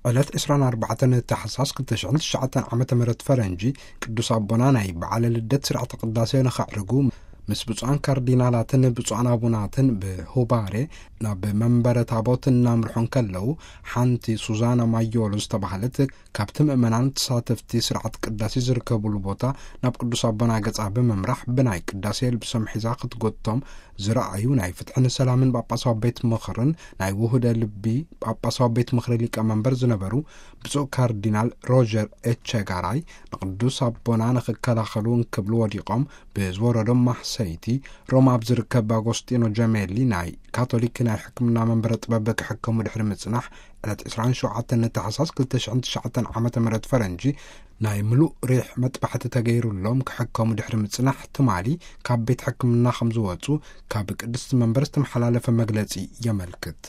ዕለት ዕስራን ኣርባዕተን ታሕሳስ ክልተ ሽሕን ትሽዓተን ዓመተ ምህረት ፈረንጂ፣ ቅዱስ ኣቦና ናይ በዓለ ልደት ስርዓተ ቅዳሴ ንኸዕርጉ፣ ምስ ብፁዓን ካርዲናላትን ብፁዓን ኣቡናትን ብሁባሬ ናብ መንበረ ታቦት እናምርሑ እንከለዉ፣ ሓንቲ ሱዛና ማዮሎ ዝተባህለት ካብቲ ምእመናን ተሳተፍቲ ስርዓት ቅዳሴ ዝርከቡሉ ቦታ ናብ ቅዱስ ኣቦና ገጻ ብምምራሕ፣ ብናይ ቅዳሴ ልብሶም ሒዛ ክትጎቶም ዝረኣዩ ናይ ፍትሕን ሰላምን ጳጳሳዊ ቤት ምኽርን ናይ ውህደ ልቢ ጳጳሳዊ ቤት ምኽሪ ሊቀመንበር ዝነበሩ ብፁዕ ካርዲናል ሮጀር ኤቸጋራይ፣ ንቅዱስ ኣቦና ንኽከላኸሉ እንክብሉ ወዲቖም ብዝወረዶም ማህሰይቲ፣ ሮማ ኣብ ዝርከብ ኣጎስጢኖ ጀሜሊ ናይ ካቶሊክ ናይ ሕክምና መንበረ ጥበብ ክሕከሙ ድሕሪ ምጽናሕ፣ ዕለት ዕስራን ሸውዓተን ታሕሳስ ክልተ ሽሕን ትሽዓተን ዓመተ ምህረት ፈረንጂ፣ ናይ ምሉእ ሪሕ መጥባሕቲ ተገይሩሎም ክሕከሙ ድሕሪ ምጽናሕ፣ ትማሊ ካብ ቤት ሕክምና ከም ዝወጹ ካብ ቅድስቲ መንበር ዝተመሓላለፈ መግለጺ የመልክት።